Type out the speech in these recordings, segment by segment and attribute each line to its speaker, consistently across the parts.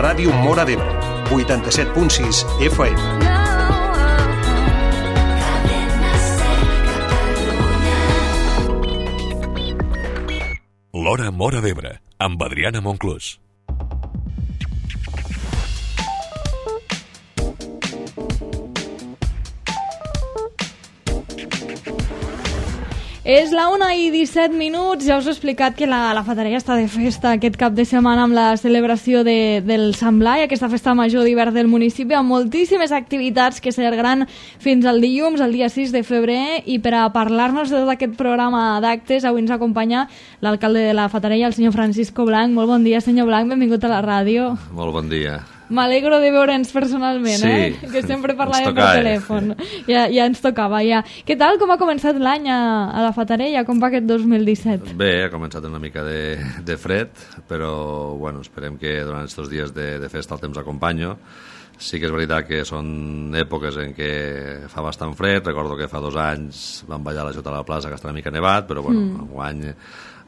Speaker 1: Ràdio Móra d'Ebre, 87.6 FM.
Speaker 2: L'Hora Móra d'Ebre, amb Adriana Monclús.
Speaker 3: És la 1:17, ja us he explicat que la Fatarella està de festa aquest cap de setmana amb la celebració del Sant Blai, aquesta festa major d'hivern del municipi, amb moltíssimes activitats que s'allargaran fins al dilluns, el dia 6 de febrer, i per a parlar-nos de tot aquest programa d'actes, avui ens acompanya l'alcalde de la Fatarella, el senyor Francisco Blanc. Molt bon dia, senyor Blanc, benvingut a la ràdio.
Speaker 4: Molt bon dia.
Speaker 3: M'alegro de veure'ns personalment,
Speaker 4: sí,
Speaker 3: que sempre parlàvem per telèfon. Ja ens tocava, ja. Què tal, com ha començat l'any a la Fatarella? Com va aquest 2017?
Speaker 4: Bé, ha començat una mica de fred, però bueno, esperem que durant aquests dies de festa el temps acompanya. Sí que és veritat que són èpoques en què fa bastant fred. Recordo que fa 2 anys vam ballar a la Jota a la plaça, que està una mica nevat, però bueno, enguany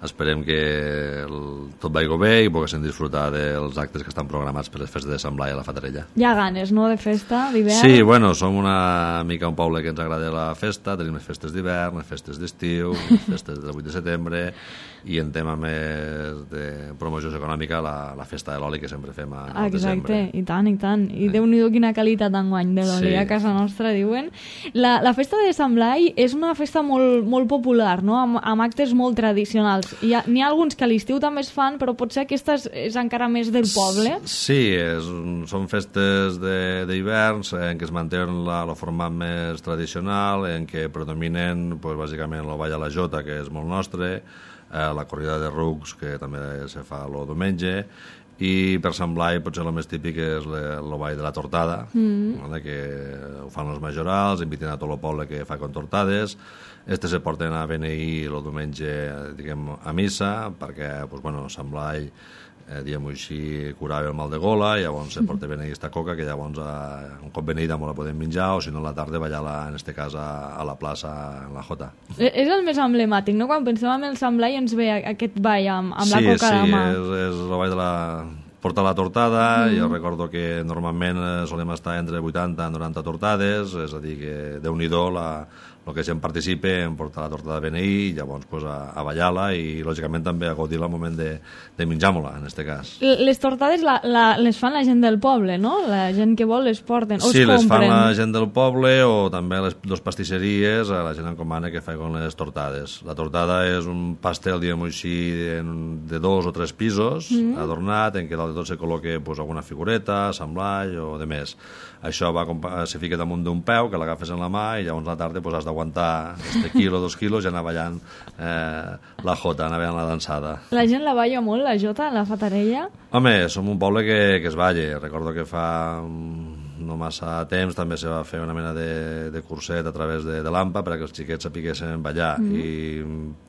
Speaker 4: esperem que tot vagi bé i poguéssim disfrutar dels actes que estan programats per les festes de Sant Blai a la Fatarella.
Speaker 3: Hi ha ganes, no?, de festa, d'hivern?
Speaker 4: Sí, bueno, som una mica un poble que ens agrada la festa, tenim les festes d'hivern, les festes d'estiu, les festes del 8 de setembre, i en tema més de promoció econòmica, la festa de l'oli que sempre fem al desembre.
Speaker 3: Exacte, i tant, i tant. I Déu-n'hi-do quina qualitat d'enguany de l'oli a casa nostra, diuen. La festa de Sant Blai és una festa molt popular, no?, amb actes molt tradicionals. N'hi ha alguns que a l'estiu també es fan, però potser aquesta és encara més del poble.
Speaker 4: Sí, són festes d'hivern en què es manté el format més tradicional, en què predominen bàsicament el ball a la Jota, que és molt nostre, la corrida de rucs, que també se fa el diumenge, i per Sant Blai potser el més típic és el ball de la tortada, que ho fan els majorals, inviten a tot el poble que fa contortades. Se porten a beneir el diumenge, diguem, a missa, perquè Sant Blai, diguem-ho així, curava el mal de gola, i llavors se porta a beneir aquesta coca, que llavors un cop beneïda la podem menjar, o si no a la tarda ballar-la, en aquest cas, a la plaça, en la Jota.
Speaker 3: És el més emblemàtic, no? Quan pensem en el Sant Blai ens ve aquest ball amb la coca a la mà.
Speaker 4: Sí, és el ball de la portar la tortada. Jo recordo que normalment solem estar entre 80 i 90 tortades, és a dir, que Déu-n'hi-do el que gent participa en portar la tortada de beneir, i llavors a ballar-la i lògicament també a gaudir el moment de menjar-la, en aquest cas.
Speaker 3: Les tortades les fan la gent del poble, no? La gent que vol les porten, o es compren?
Speaker 4: Sí, les fan la gent del poble, o també les dues pastisseries, la gent encomana que fan les tortades. La tortada és un pastel, diguem-ho així, de 2 o 3 pisos, adornat, en què dalt de tot se col·loca alguna figureta, Sant Blai o de més. Això se fica damunt d'un peu, que l'agafes en la mà, i llavors a la tarda has d'aguantar quilo, 2 quilos, i anar ballant la jota, anar ballant la dansada.
Speaker 3: La gent la balla molt, la jota, la Fatarella?
Speaker 4: Home, som un poble que es balla. Recordo que fa no massa temps també se va fer una mena de curset a través de l'AMPA perquè els xiquets sapiguessin ballar, i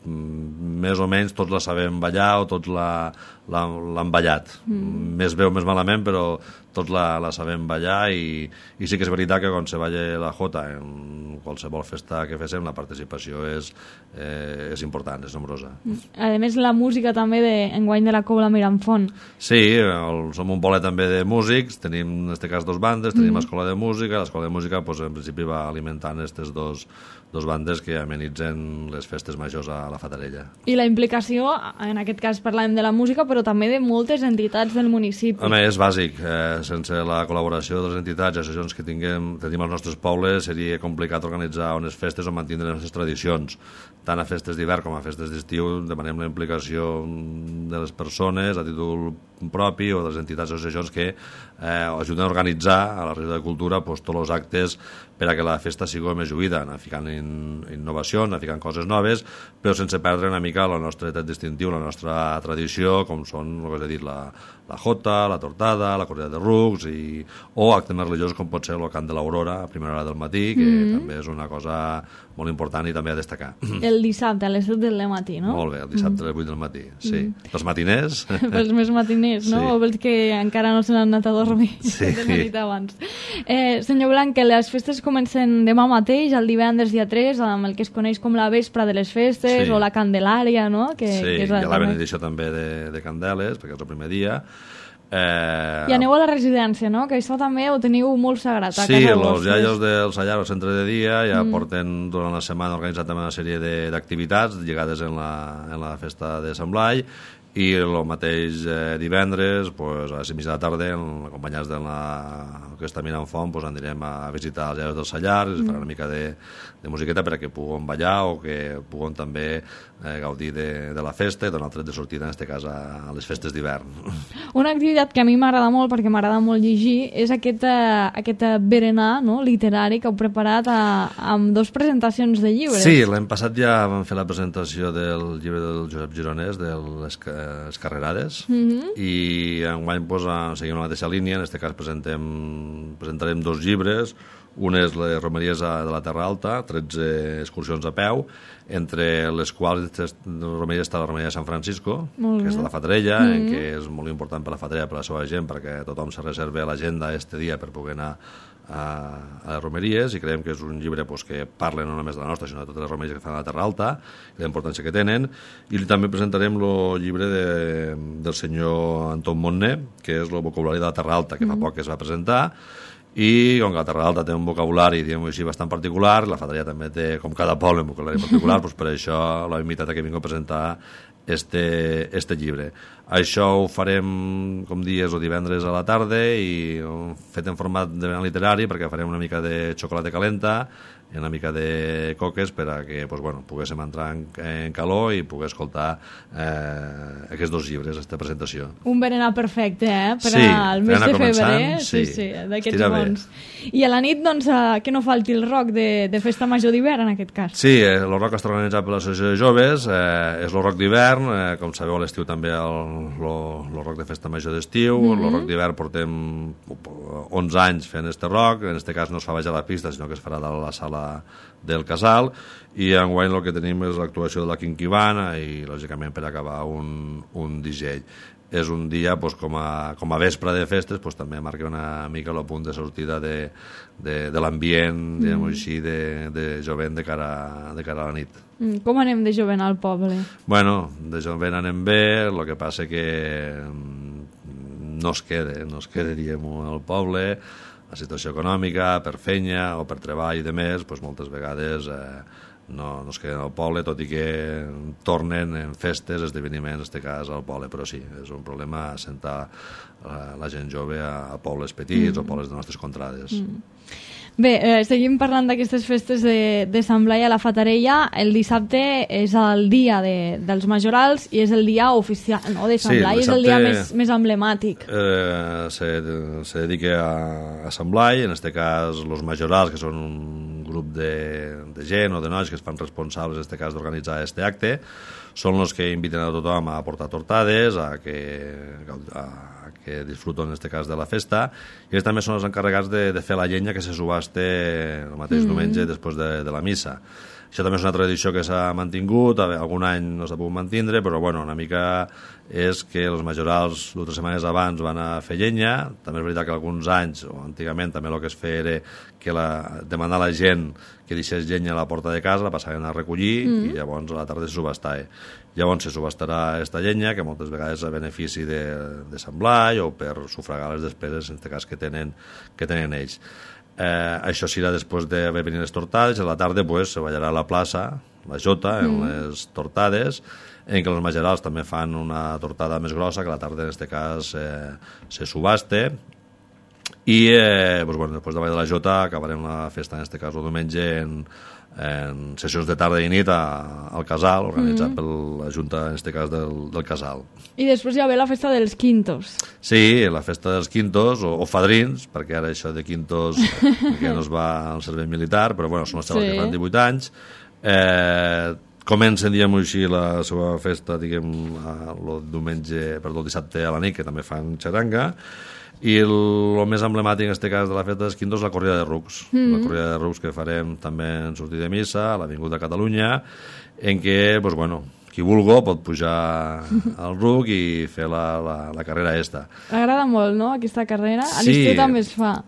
Speaker 4: més o menys tots la sabem ballar, o tots l'han ballat. Més bé o més malament, però tots la sabem ballar, i sí que és veritat que quan se balla la jota en qualsevol festa que féssim, la participació és important, és nombrosa.
Speaker 3: A més, la música també enguany de la Cobla Miramfont.
Speaker 4: Sí, som un poble també de músics, tenim en aquest cas 2 bandes, tenim l'escola de música. L'escola de música en principi va alimentant aquestes dos bandes que amenitzen les festes majors a la Fatarella. I
Speaker 3: la implicació, en aquest cas parlàvem de la música, però també de moltes entitats del municipi.
Speaker 4: Home, és bàsic. Sense la col·laboració de les entitats i associacions que tenim als nostres pobles seria complicat organitzar unes festes o mantenir les tradicions. Tant a festes d'hivern com a festes d'estiu demanem la implicació de les persones a títol propi, o de les entitats o associacions que ajuden a organitzar a la Regió de Cultura tots els actes per a que la festa sigui més lluïda, anar ficant innovacions, anar ficant coses noves, però sense perdre una mica el nostre tret distintiu, la nostra tradició, com són, el que he dit, la jota, la tortada, la corrida de rucs, o actes més religiosos com pot ser el cant de l'aurora a primera hora del matí, que també és una cosa molt important i també a destacar.
Speaker 3: El dissabte a les 7 del matí, no?
Speaker 4: Molt bé, el dissabte a les 8 del matí, sí. Pels matiners.
Speaker 3: Pels més matiners, no? O pels que encara no se n'han anat a dormir de nit abans. Senyor Blanc, que les festes comencen demà mateix, el divendres dia 3, amb el que es coneix com la vespra de les festes, o la Candelària, no?
Speaker 4: Sí, hi ha la benedicció també de Candeles, perquè és el primer dia.
Speaker 3: I aneu a la residència, no? Que això també ho teniu molt sagrat a casa vostra.
Speaker 4: Sí, els iaios del Sallar, al centre de dia, ja porten durant la setmana organitzat també una sèrie d'activitats lligades en la festa de Sant Blai, i el mateix divendres, pues, a les 5:30 de la tarda, acompanyats de l'Orquestra Mirant Font, pues, anirem a visitar els iaios del Sallar, es farà una mica de musiqueta perquè puguem ballar o que puguem també gaudir de la festa i donar el tret de sortida, en aquest cas, a les festes d'hivern.
Speaker 3: Una activitat que a mi m'agrada molt, perquè m'agrada molt llegir, és aquest berenar, no?, literari que heu preparat amb 2 presentacions de llibres.
Speaker 4: Sí, l'any passat ja vam fer la presentació del llibre del Josep Gironès, de les Carrerades, i enguany pues, seguim la mateixa línia. En aquest cas presentarem 2 llibres. Un és les romeries de la Terra Alta, 13 excursions a peu, entre les quals romeries està la romeria de Sant Francisco, que és de la Fatarella, que és molt important per la Fatarella, per la seva gent, perquè tothom se reserva a l'agenda este dia per poder anar a les romeries, i creiem que és un llibre pues, que parla no només de la nostra, sinó de totes les romeries que fan a la Terra Alta i la importància que tenen. I també presentarem el llibre del senyor Anton Montner, que és el vocabulari de la Terra Alta, que fa poc que es va presentar, i com que la Terra Alta té un vocabulari, diguem-ho així, bastant particular, la Fatarella també té, com cada poble, un vocabulari particular, doncs per això l'he invitat a que vingui a presentar este llibre. Això ho farem, com dies, o divendres a la tarda, i fet en format de berenar literari, perquè farem una mica de xocolata calenta i una mica de coques per a que pues, bueno, poguéssim entrar en calor i poder escoltar aquests 2 llibres, aquesta presentació.
Speaker 3: Un berenar perfecte, per
Speaker 4: sí,
Speaker 3: al mes de febrer.
Speaker 4: Sí,
Speaker 3: d'aquests bons. I a la nit, doncs, que no falti el rock de Festa Major d'hivern, en aquest cas.
Speaker 4: Sí, el rock està organitzat per l'Associació de Joves, és el rock d'hivern, com sabeu a l'estiu també el rock de Festa Major d'estiu, el rock d'hivern portem 11 anys fent este rock, en aquest cas no es fa baix a la pista, sinó que es farà dalt a la sala del Casal, i enguany el que tenim és l'actuació de la Quinquivana i lògicament per acabar un DJ. És un dia pues, com a vespre de festes, pues, també marca una mica el punt de sortida de l'ambient, diguem-ho així, de jovent de cara a la nit.
Speaker 3: Com anem de jovent al poble?
Speaker 4: Bueno, de jovent anem bé, el que passa que no es queda, diguem-ho, al poble. La situació econòmica, per feina o per treball i de més, doncs moltes vegades no es queden al poble, tot i que tornen en festes, esdeveniments, en aquest cas al poble, però sí, és un problema assentar la gent jove a pobles petits o pobles de nostres contrades.
Speaker 3: Bé, seguim parlant d'aquestes festes de Sant Blai a la Fatarella. El dissabte és el dia dels majorals i és el dia oficial, no?, de Sant Blai, és el dia més emblemàtic.
Speaker 4: Se dedica a Sant Blai, en aquest cas els majorals, que són un grup de gent o de nois que es fan responsables, en aquest cas, d'organitzar aquest acte, són els que inviten a tothom a portar tortades, a que disfruten, en aquest cas, de la festa, i ells també són els encarregats de fer la llenya que se subaste el mateix diumenge després de la missa. Això també és una tradició que s'ha mantingut, algun any no s'ha pogut mantindre, però bueno, una mica és que els majorals 2 o 3 setmanes abans van a fer llenya. També és veritat que alguns anys, o antigament, també el que es feia era que demanar a la gent que deixés llenya a la porta de casa, la passaven a recollir i llavors a la tarda se subestava. Llavors se subestarà aquesta llenya, que moltes vegades és a benefici de Sant Blai o per sufragar les despeses, en aquest cas, que tenen ells. Això serà després d'haver venit les tortades, i a la tarda se ballarà a la plaça, la Jota, en les tortades, en què els majorals també fan una tortada més grossa, que a la tarda, en aquest cas, se subaste, i després de ballar de la Jota acabarem la festa, en aquest cas, el diumenge, en sessions de tarda i nit al Casal, organitzat per la Junta, en aquest cas, del Casal.
Speaker 3: I després hi ha la festa dels quintos.
Speaker 4: Sí, la festa dels quintos, o fadrins, perquè ara això de quintos que no es va al servei militar, però bueno, són els xavals que fan 18 anys. Comencen, diguem-ho així, la seva festa, diguem, el dissabte a la nit, que també fan xaranga, i el més emblemàtic en aquest cas de la festa dels quintos és la corrida de rucs. La corrida de rucs que farem també en sortir de missa a l'Avinguda Catalunya, en què, doncs, bueno, qui vulgui pot pujar al ruc i fer la carrera esta.
Speaker 3: Agrada molt, no?, aquesta carrera? A l'estiu també es fa.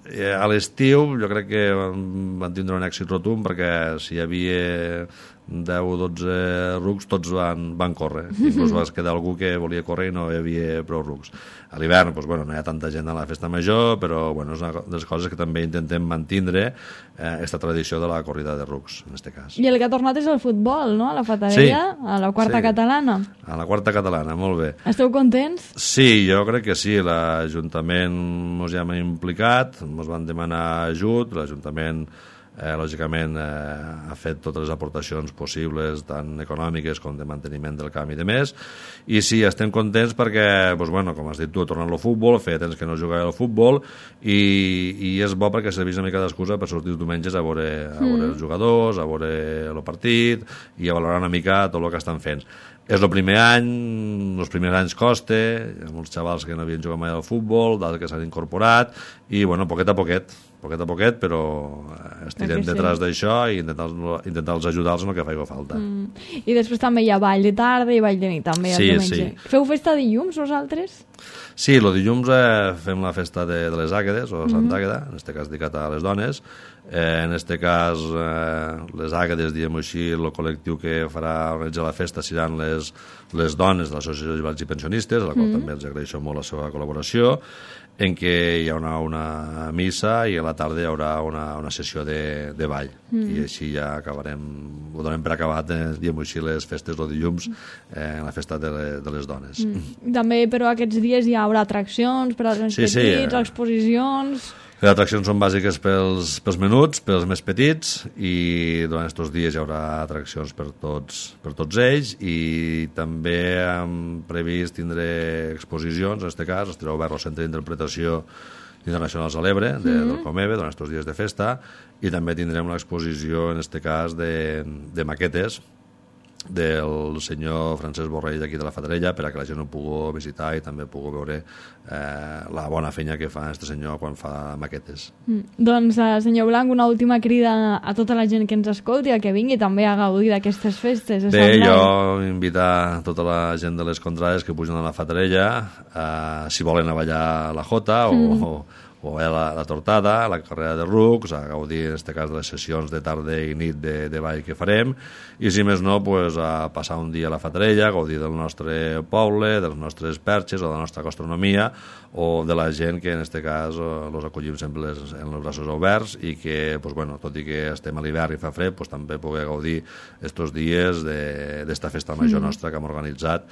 Speaker 4: A l'estiu jo crec que van tindre un èxit rotund, perquè si hi havia 10-12 rucs, tots van córrer. Inclús va quedar algú que volia córrer i no hi havia prou rucs. A l'hivern, doncs, no hi ha tanta gent a la festa major, però és una de les coses que també intentem mantindre aquesta tradició de la corrida de rucs, en aquest cas.
Speaker 3: I el que ha tornat és el futbol, no?, a la Fatarella, a la quarta catalana.
Speaker 4: A la quarta catalana, molt bé.
Speaker 3: Esteu contents?
Speaker 4: Sí, jo crec que sí. L'Ajuntament ens hi hem implicat, ens van demanar ajut, l'Ajuntament lògicament ha fet totes les aportacions possibles, tant econòmiques com de manteniment del camp i de més, i sí, estem contents perquè, com has dit tu, tornant al futbol, feia temps que no jugava al futbol, i és bo perquè serveix una mica d'excusa per sortir els diumenges a veure els jugadors, a veure el partit i a valorar una mica tot el que estan fent. És el primer any, els primers anys costa, hi ha molts xavals que no havien jugat mai al futbol, d'altres que s'han incorporat, i poquet a poquet, però estirem detrás d'això i intentar-los ajudar-los en el que faci falta.
Speaker 3: I després també hi ha ball de tarda i ball de nit, també, el diumenge. Sí. Feu festa dilluns, vosaltres?
Speaker 4: Sí, el dilluns fem la festa de les Àguedes, o Sant Àgueda, en aquest cas dedicat a les dones. En aquest cas, les Àguedes, diguem-ho així, el col·lectiu que farà organitzar la festa seran les dones de l'Associació de Jubilats i Pensionistes, a la qual també els agraeixo molt la seva col·laboració, en què hi haurà una missa i a la tarda hi haurà una sessió de ball. I així ja acabarem, ho donem per acabat, diguem-ho així, les festes del dilluns, en la festa de les dones.
Speaker 3: També, però, aquests dies hi haurà atraccions per als més petits, exposicions...
Speaker 4: Les atraccions són bàsiques pels menuts, pels més petits, i durant aquests dies hi haurà atraccions per tots ells, i també hem previst tindre exposicions, en aquest cas, estarà obert al Centre d'Interpretació Internacionals a l'Ebre, del Comebe, durant aquests dies de festa, i també tindrem l'exposició, en aquest cas, de maquetes, del senyor Francesc Borrell d'aquí de la Fatarella, per a que la gent ho pugui visitar i també pugui veure la bona feina que fa aquest senyor quan fa maquetes.
Speaker 3: Doncs, senyor Blanc, una última crida a tota la gent que ens escolti, a que vingui també a gaudir d'aquestes festes.
Speaker 4: Bé, jo invitar tota la gent de les contrades que pugen a la Fatarella, si volen a ballar la jota o a la tortada, a la carrera de rucs, a gaudir, en aquest cas, de les sessions de tarda i nit de ball que farem, i si més no, a passar un dia a la Fatarella, a gaudir del nostre poble, de les nostres perxes o de la nostra gastronomia, o de la gent que, en aquest cas, els acollim sempre en els braços oberts i que, tot i que estem a l'hivern i fa fred, també poder gaudir aquests dies d'esta festa major nostra que hem organitzat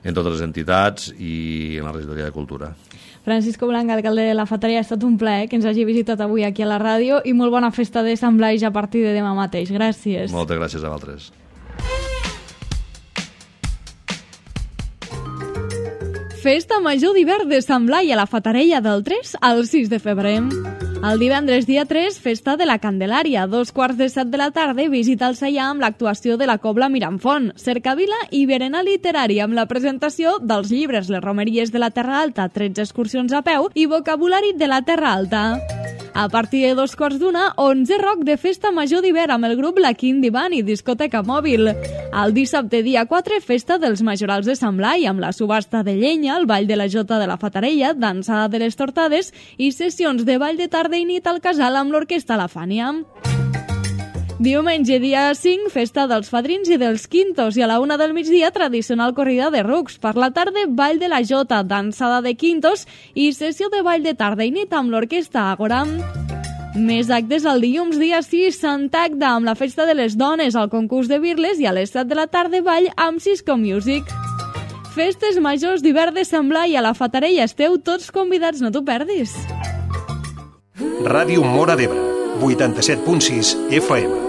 Speaker 4: en totes les entitats i en la regidoria de Cultura.
Speaker 3: Francisco Blanc, alcalde de la Fatarella, ha estat un plaer que ens hagi visitat avui aquí a la ràdio i molt bona festa de Sant Blai a partir de demà mateix. Gràcies.
Speaker 4: Moltes gràcies a vosaltres.
Speaker 3: Festa Major d'hivern de Sant Blai a la Fatarella del 3 al 6 de febrer. El divendres dia 3, festa de la Candelària. 2:15 de la tarda, visita al Saià amb l'actuació de la Cobla Miramfont, cercavila i berenar literari amb la presentació dels llibres Les romeries de la Terra Alta, 13 excursions a peu i vocabulari de la Terra Alta. A partir de 2:15, 11 rock de festa major d'hivern amb el grup La Quin Divan i discoteca mòbil. El dissabte dia 4, festa dels majorals de Sant Blai amb la subhasta de llenya, el ball de la Jota de la Fatarella, dansada de les tortades i sessions de ball de tarda i nit al casal amb l'orquestra La Fània. Diumenge, dia 5, festa dels fadrins i dels quintos i a la 1 del migdia, tradicional corrida de rucs. Per la tarda, ball de la Jota, dansada de quintos i sessió de ball de tarda i nit amb l'orquestra Àgora. Més actes el dilluns, dia 6, Sant Agda, amb la festa de les dones, el concurs de birles i a les 7 de la tarda, ball amb Cisco Music. Festes majors d'hivern de Sant Blai a la Fatarella. Esteu tots convidats, no t'ho perdis.
Speaker 1: Ràdio Móra d'Ebre, 87.6 FM.